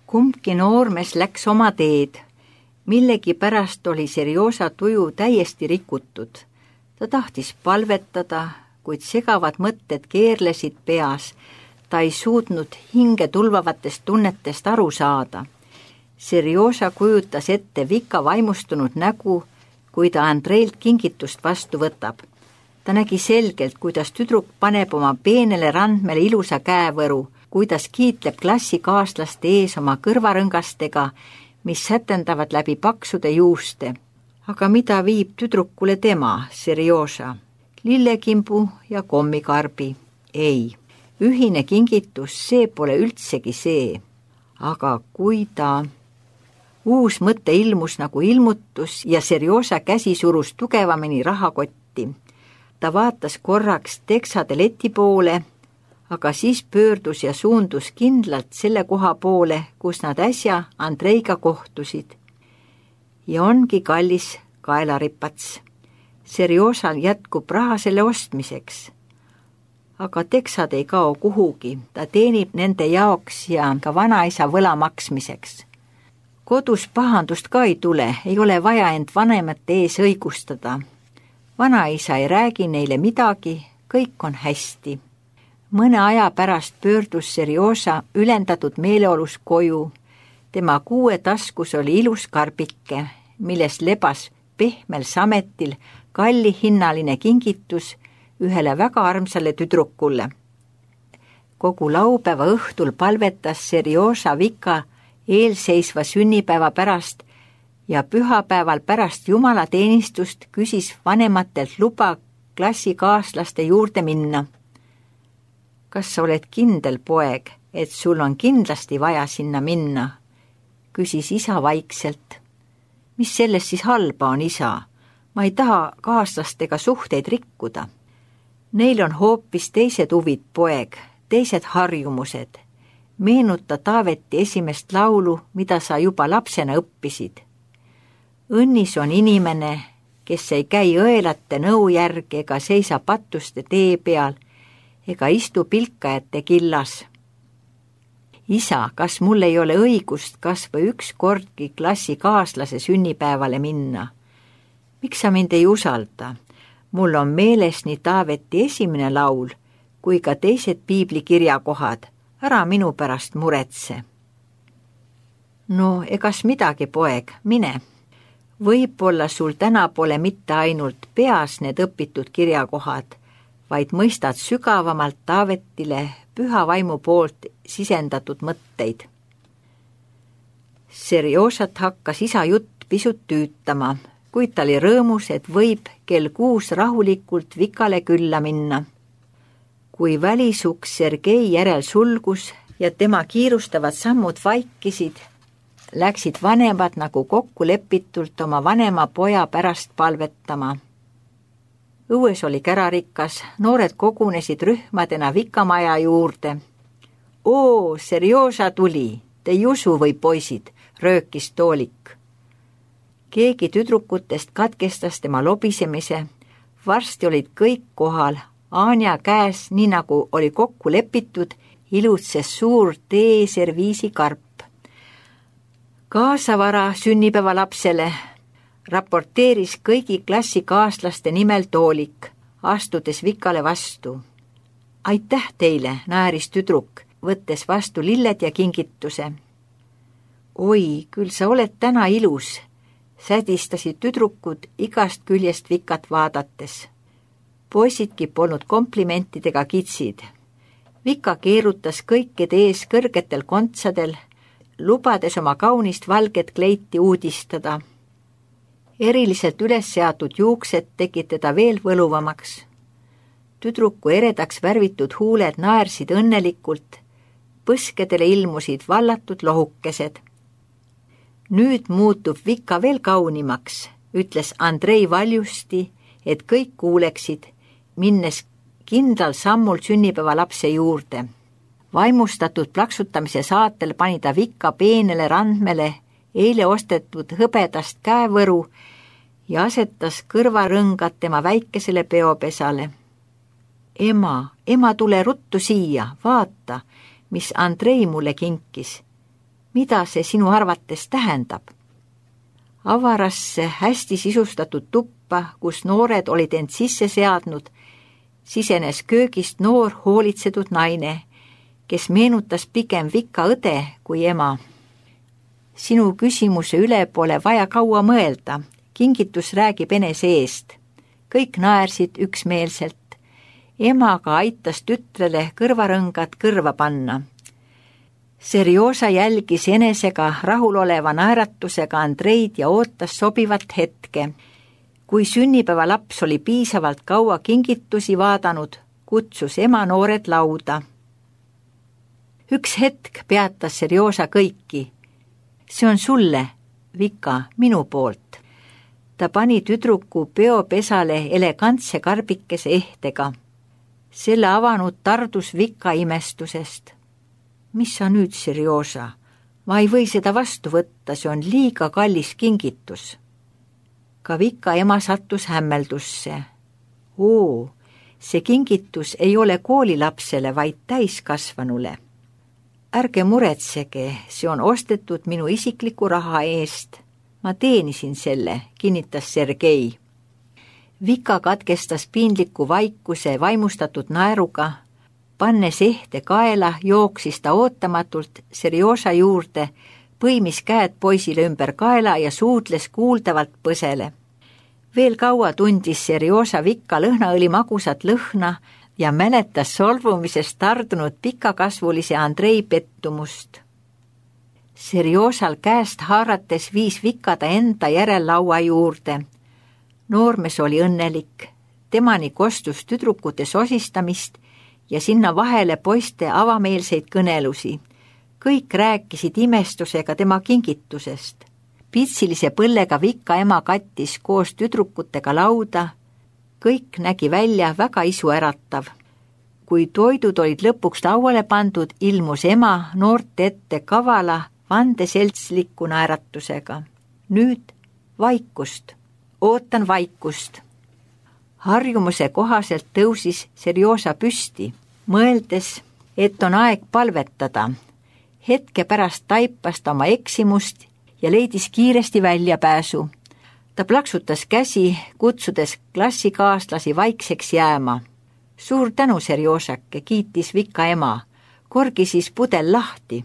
Kumbki noormees läks oma teed. Millegipärast oli Serjoža tuju täiesti rikutud. Ta tahtis palvetada, kuid segavad mõtted keerlesid peas. Ta ei suutnud hinge tulvavatest tunnetest aru saada. Serjoža kujutas ette Vika vaimustunud nägu, kui ta Andreilt kingitust vastu võtab. Ta nägi selgelt, kuidas tüdruk paneb oma peenele randmele ilusa käevõru, kuidas kiitleb klassikaaslaste ees oma kõrvarõngastega, mis sätendavad läbi paksude juuste. Aga mida viib tüdrukule tema, Serjoža? Lillekimbu ja kommikarbi? Ei, ühine kingitus, see pole üldsegi see. Aga kui ta... Uus mõte ilmus nagu ilmutus ja Serjoža käsi surus tugevamini rahakotti. Ta vaatas korraks teksade leti poole, aga siis pöördus ja suundus kindlalt selle koha poole, kus nad äsja Andreiga kohtusid. Ja ongi kallis kaelaripats. Serjožal jätkub raha selle ostmiseks. Aga teksad ei kao kuhugi, ta teenib nende jaoks ja ka vanaisa võla maksmiseks. Kodus pahandust ka ei tule, ei ole vaja end vanemate ees õigustada. Vanaisa ei räägi neile midagi, kõik on hästi. Mõne aja pärast pöördus Serjoža ülendatud meeleolus koju. Tema kuue taskus oli ilus karbike, milles lebas pehmel sametil kallihinnaline kingitus ühele väga armsale tüdrukule. Kogu laupäeva õhtul palvetas Serjoža Vika eelseisva sünnipäeva pärast ja pühapäeval pärast jumalateenistust küsis vanematelt luba klassikaaslaste juurde minna. Kas sa oled kindel, poeg, et sul on kindlasti vaja sinna minna? Küsis isa vaikselt. Mis sellest siis halba on, isa? Ma ei taha kaaslastega suhteid rikkuda. Neil on hoopis teised huvid, poeg, teised harjumused. Meenuta Taaveti esimest laulu, mida sa juba lapsena õppisid. Õnnis on inimene, kes ei käi õelate nõu järgi ega seisa patuste tee peal ega istu pilkajate killas. Isa, kas mul ei ole õigust kas või üks kordki klassikaaslase sünnipäevale minna? Miks sa mind ei usalda? Mul on meeles nii Taaveti esimene laul kui ka teised piiblikirjakohad. Ära minu pärast muretse. No, egas midagi, poeg, mine. Võib-olla sul täna pole mitte ainult peas need õpitud kirjakohad, vaid mõistad sügavamalt Taavetile püha vaimu poolt sisendatud mõtteid. Serjožat hakkas isa jutt pisut tüütama, kuid ta oli rõõmus, et võib kell 6 rahulikult Vikale külla minna. Kui välisuks Sergei järel sulgus ja tema kiirustavad sammud vaikisid, läksid vanemad nagu kokkulepitult oma vanema poja pärast palvetama. Õues oli kärarikas, noored kogunesid rühmadena Vikamaja juurde. Oo, Serjoža tuli, te ei usu või poisid, röökis Toolik. Keegi tüdrukutest katkestas tema lobisemise, varsti olid kõik kohal. Anja käes, nii nagu oli kokku lepitud, ilutses suur teeserviisi karp. Kaasavara sünnipäeva lapsele raporteeris kõigi klassikaaslaste nimel Toolik, astudes Vikale vastu. Aitäh teile, naeris tüdruk, võttes vastu lilled ja kingituse. Oi, küll sa oled täna ilus, sädistasid tüdrukud igast küljest Vikat vaadates. Poisidki polnud komplimentidega kitsid. Vika keerutas kõikide ees kõrgetel kontsadel, lubades oma kaunist valget kleiti uudistada. Eriliselt üles seatud juuksed tegid teda veel võluvamaks. Tüdruku eredaks värvitud huuled naersid õnnelikult, põskedele ilmusid vallatud lohukesed. Nüüd muutub Vika veel kaunimaks, ütles Andrei valjusti, et kõik kuuleksid, minnes kindlal sammul sünnipäeva lapse juurde. Vaimustatud plaksutamise saatel pani ta Vika peenele randmele eile ostetud hõbedast käevõru ja asetas kõrvarõngad tema väikesele peopesale. Ema, tule ruttu siia, vaata, mis Andrei mulle kinkis. Mida see sinu arvates tähendab? Avarasse hästi sisustatud tuppa, kus noored olid end sisse seadnud, sisenes köögist noor hoolitsetud naine, kes meenutas pigem Vika õde kui ema. Sinu küsimuse üle pole vaja kaua mõelda, kingitus räägib enese eest. Kõik naersid üksmeelselt. Emaga aitas tütrele kõrvarõngad kõrva panna. Serjosa jälgis enesega rahuloleva naeratusega Andreid ja ootas sobivat hetke. Kui sünnipäeva laps oli piisavalt kaua kingitusi vaadanud, kutsus ema noored lauda. Üks hetk peatas Serjosa kõiki. See on sulle, Vika, minu poolt. Ta pani tüdruku peopesale elegantse karbikese ehtega. Selle avanud tardus Vika imestusest. Mis sa nüüd, Serjosa? Ma ei või seda vastu võtta, see on liiga kallis kingitus. Ka Vika ema sattus hämmeldusse. Oo, see kingitus ei ole koolilapsele, vaid täiskasvanule. Ärge muretsege, see on ostetud minu isikliku raha eest. Ma teenisin selle, kinnitas Sergei. Vika katkestas piinliku vaikuse vaimustatud naeruga. Pannes ehte kaela, jooksis ta ootamatult Serjosa juurde, põimis käed poisile ümber kaela ja suudles kuuldavalt põsele. Veel kaua tundis Serjosa Vika lõhnaõli magusat lõhna ja mäletas solvumisest tardunud pikakasvulise Andrei pettumust. Serjosal käest haarates viis Vika ta enda järel laua juurde. Noormees oli õnnelik. Temani kostus tüdrukute sosistamist ja sinna vahele poiste avameelseid kõnelusi. Kõik rääkisid imestusega tema kingitusest. Pitsilise põllega Vika ema kattis koos tüdrukutega lauda. Kõik nägi välja väga isuäratav. Kui toidud olid lõpuks lauale pandud, ilmus ema noorte ette kavala vandeseltsliku naeratusega. Nüüd vaikust. Ootan vaikust. Harjumuse kohaselt tõusis Serjosa püsti, mõeldes, et on aeg palvetada. Hetke pärast taipas ta oma eksimust ja leidis kiiresti väljapääsu. Ta plaksutas käsi, kutsudes klassikaaslasi vaikseks jääma. Suur tänu, Serjosake, kiitis Vika ema. Korgi siis pudel lahti.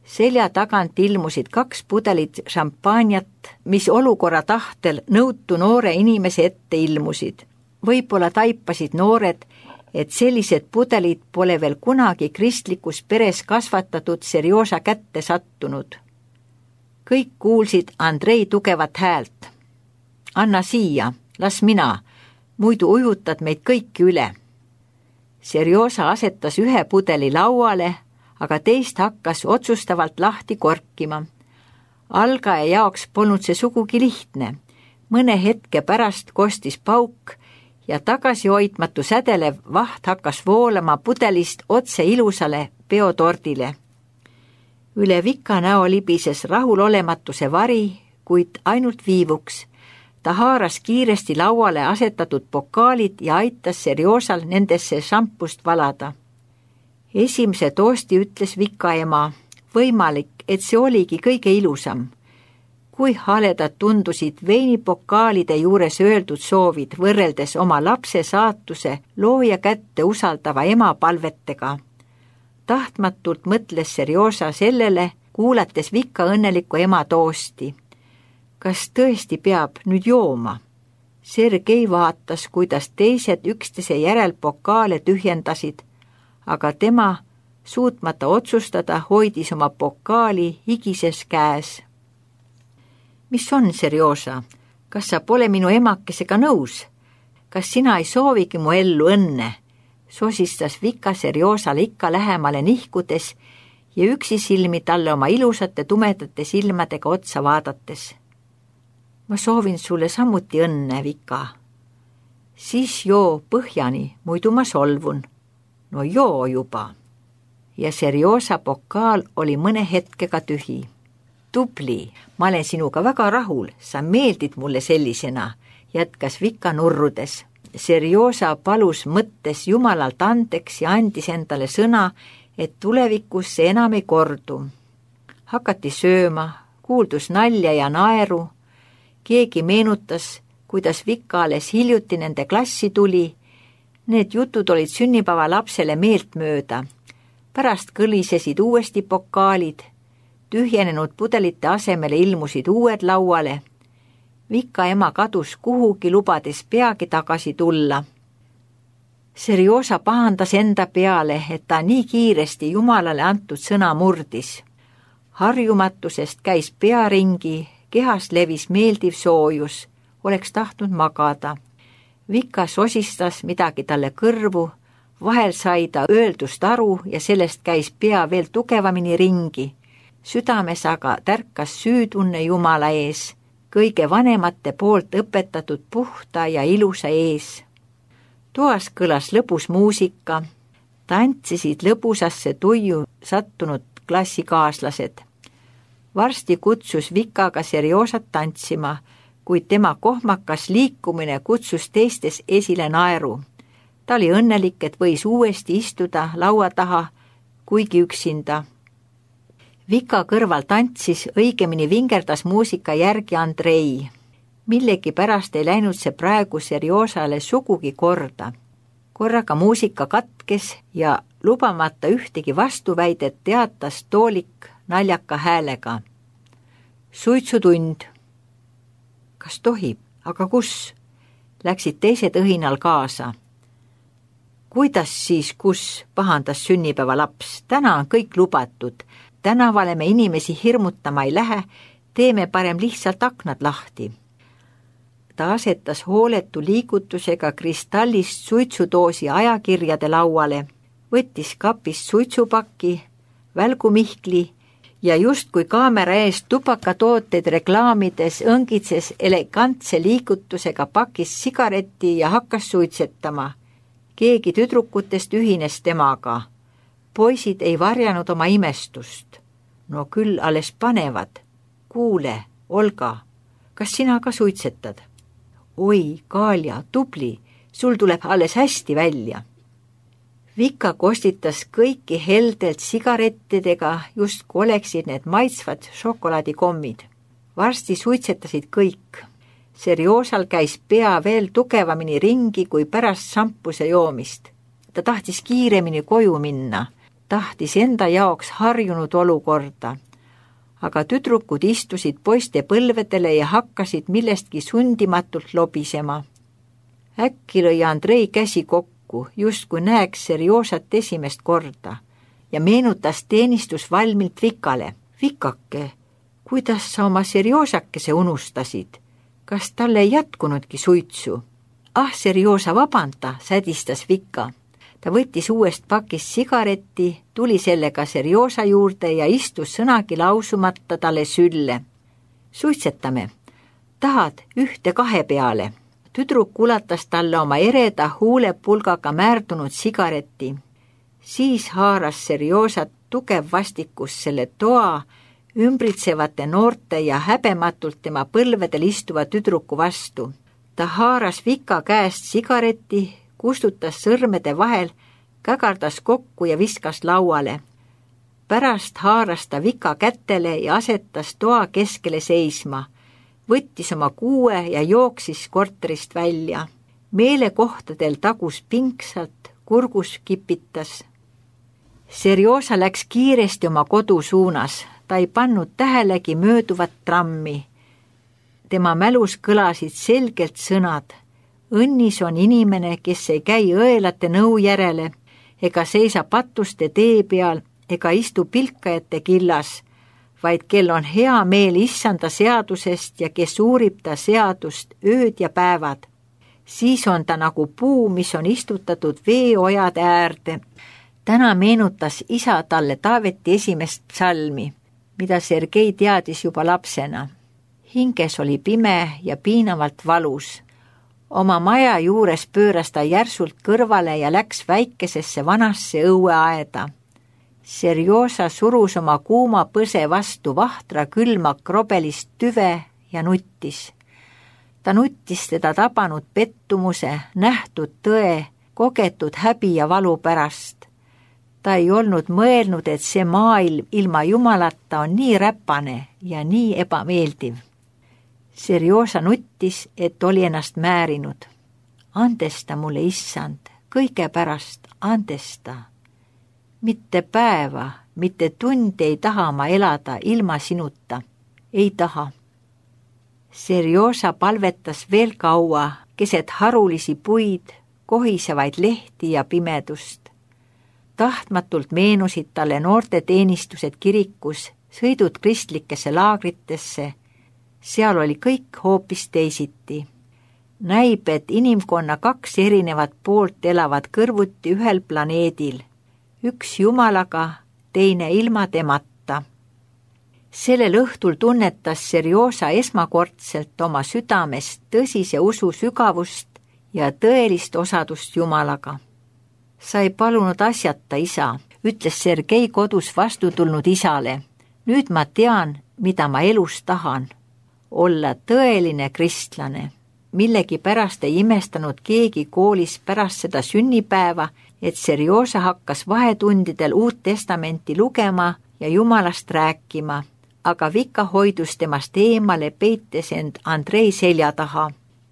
Selja tagant ilmusid 2 pudelit šampanjat, mis olukorra tahtel nõutu noore inimese ette ilmusid. Võib-olla taipasid noored, et sellised pudelid pole veel kunagi kristlikus peres kasvatatud Serjosa kätte sattunud. Kõik kuulsid Andrei tugevat häält. Anna siia, las mina, muidu ujutad meid kõiki üle. Serjosa asetas 1 pudeli lauale, aga teist hakkas otsustavalt lahti korkima. Algaja jaoks polnud see sugugi lihtne. Mõne hetke pärast kostis pauk ja tagasihoidmatu sädelev vaht hakkas voolama pudelist otse ilusale peotordile. Üle Vika näo libises rahulolematuse vari, kuid ainult viivuks. Ta haaras kiiresti lauale asetatud pokaalid ja aitas Serjosal nendesse šampust valada. Esimese toosti ütles Vika ema. Võimalik, et see oligi kõige ilusam. Kui haledad tundusid veinipokaalide juures öeldud soovid võrreldes oma lapse saatuse looja kätte usaldava ema palvetega. Tahtmatult mõtles Serjosa sellele, kuulates Vika õnneliku ema toosti. Kas tõesti peab nüüd jooma? Sergei vaatas, kuidas teised üksteise järel pokaale tühjendasid, aga tema, suutmata otsustada, hoidis oma pokaali higises käes. Mis on, Serjosa? Kas sa pole minu emakesega nõus? Kas sina ei soovigi mu ellu õnne? Sosistas Vika Serjosale ikka lähemale nihkudes ja üksi silmi talle oma ilusate tumedate silmadega otsa vaadates. Ma soovin sulle samuti õnne, Vika. Siis joo põhjani, muidu ma solvun. No joo juba. Ja Serjosa pokaal oli mõne hetkega tühi. Tubli, ma olen sinuga väga rahul, sa meeldid mulle sellisena, jätkas Vika nurrudes. Serjosa palus mõttes Jumalalt andeks ja andis endale sõna, et tulevikus see enam ei kordu. Hakati sööma, kuuldus nalja ja naeru. Keegi meenutas, kuidas Vika alles hiljuti nende klassi tuli. Need jutud olid sünnipäeva lapsele meeltmööda. Pärast kõlisesid uuesti pokaalid. Tühjenenud pudelite asemele ilmusid uued lauale. Vika ema kadus kuhugi, lubades peagi tagasi tulla. Serjosa pahandas enda peale, et ta nii kiiresti Jumalale antud sõna murdis. Harjumatusest käis pea ringi, kehas levis meeldiv soojus, oleks tahtnud magada. Vika sosistas midagi talle kõrvu, vahel sai ta öeldust aru ja sellest käis pea veel tugevamini ringi. Südames aga tärkas süütunne Jumala ees, kõige vanemate poolt õpetatud puhta ja ilusa ees. Toas kõlas lõbus muusika, tantsisid lõbusasse tuju sattunud klassikaaslased. Varsti kutsus Vikaga Serjosat tantsima, kuid tema kohmakas liikumine kutsus teistes esile naeru. Ta oli õnnelik, et võis uuesti istuda laua taha, kuigi üksinda. Vika kõrval tantsis, õigemini vingerdas muusika järgi Andrei. Millegi pärast ei läinud see praegu Serjosale sugugi korda. Korraga muusika katkes ja lubamata ühtegi vastuväidet teatas Toolik naljaka häälega. Suitsutund. Kas tohib? Aga kus? Läksid teised õhinal kaasa. Kuidas siis kus? Pahandas sünnipäeva laps. Täna on kõik lubatud. Tänavale me inimesi hirmutama ei lähe, teeme parem lihtsalt aknad lahti. Ta asetas hooletu liigutusega kristallist suitsudoosi ajakirjade lauale, võttis kapist suitsupaki, välgumihkli ja justkui kaamera ees tubakatooteid reklaamides õngitses elegantse liigutusega pakis sigareti ja hakkas suitsetama. Keegi tüdrukutest ühines temaga. Poisid ei varjanud oma imestust. No küll alles panevad. Kuule, Olga, kas sina ka suitsetad? Oi, Kaalja, tubli, sul tuleb alles hästi välja. Vika kostitas kõiki heldelt sigarettidega, justkui oleksid need maitsvad šokolaadikommid. Varsti suitsetasid kõik. Serjosal käis pea veel tugevamini ringi kui pärast šampuse joomist. Ta tahtis kiiremini koju minna, tahtis enda jaoks harjunud olukorda. Aga tüdrukud istusid poiste põlvedele ja hakkasid millestki sundimatult lobisema. Äkki lõi Andrei käsi kokku, justkui näeks Serjosat esimest korda ja meenutas teenistusvalmilt Vikale. Vikake, kuidas sa oma Serjosakese unustasid? Kas talle ei jätkunudki suitsu? Ah, Serjosa, vabanda, sädistas Vika. Ta võttis uuest pakist sigaretti, tuli sellega Serjosa juurde ja istus sõnagi lausumata talle sülle. Suitsetame. Tahad 1-2 peale? Tüdruk ulatas talle oma ereda huulepulgaga määrdunud sigareti. Siis haaras Serjosat tugev vastikus selle toa, ümbritsevate noorte ja häbematult tema põlvedel istuva tüdruku vastu. Ta haaras Vika käest sigareti, kustutas sõrmede vahel, kägardas kokku ja viskas lauale. Pärast haaras ta Vika kätele ja asetas toa keskele seisma. Võttis oma kuue ja jooksis korterist välja. Meelekohtadel tagus pingsalt, kurgus kipitas. Serjosa läks kiiresti oma kodu suunas. Ta ei pannud tähelegi mööduvat trammi. Tema mälus kõlasid selgelt sõnad. Õnnis on inimene, kes ei käi õelate nõu järele, ega seisa patuste tee peal, ega istu pilkajate killas, vaid kel on hea meel issanda seadusest ja kes uurib ta seadust ööd ja päevad. Siis on ta nagu puu, mis on istutatud veeojade äärde. Täna meenutas isa talle Taaveti esimest psalmi, mida Sergei teadis juba lapsena. Hinges oli pime ja piinavalt valus. Oma maja juures pööras ta järsult kõrvale ja läks väikesesse vanasse õueaeda. Serjosa surus oma kuuma põse vastu vahtra külma krobelist tüve ja nuttis. Ta nuttis teda tabanud pettumuse, nähtud tõe, kogetud häbi ja valu pärast. Ta ei olnud mõelnud, et see maailm ilma Jumalata on nii räpane ja nii ebameeldiv. Serjosa nuttis, et oli ennast määrinud. Andesta mulle, issand, kõige pärast andesta. Mitte päeva, mitte tundi ei taha ma elada ilma sinuta. Ei taha. Serjosa palvetas veel kaua keset harulisi puid, kohisevaid lehti ja pimedust. Tahtmatult meenusid talle noorte teenistused kirikus, sõidud kristlikesse laagritesse. Seal oli kõik hoopis teisiti. Näib, et inimkonna 2 erinevat poolt elavad kõrvuti ühel planeedil. Üks Jumalaga, teine ilma temata. Sellel õhtul tunnetas Serjosa esmakordselt oma südames tõsise usu sügavust ja tõelist osadust Jumalaga. Sa ei palunud asjata, isa, ütles Sergei kodus vastu tulnud isale. Nüüd ma tean, mida ma elus tahan. Olla tõeline kristlane. Millegipärast ei imestanud keegi koolis pärast seda sünnipäeva, et Serjosa hakkas vahetundidel Uut Testamenti lugema ja Jumalast rääkima, aga Vika hoidus temast eemale, peites end Andrei selja taha.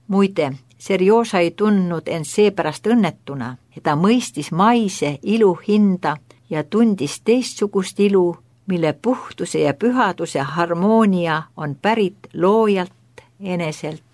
Muide, Serjosa ei tundnud end seepärast õnnetuna, ja ta mõistis maise ilu hinda ja tundis teistsugust ilu, mille puhtuse ja pühaduse harmoonia on pärit loojalt eneselt.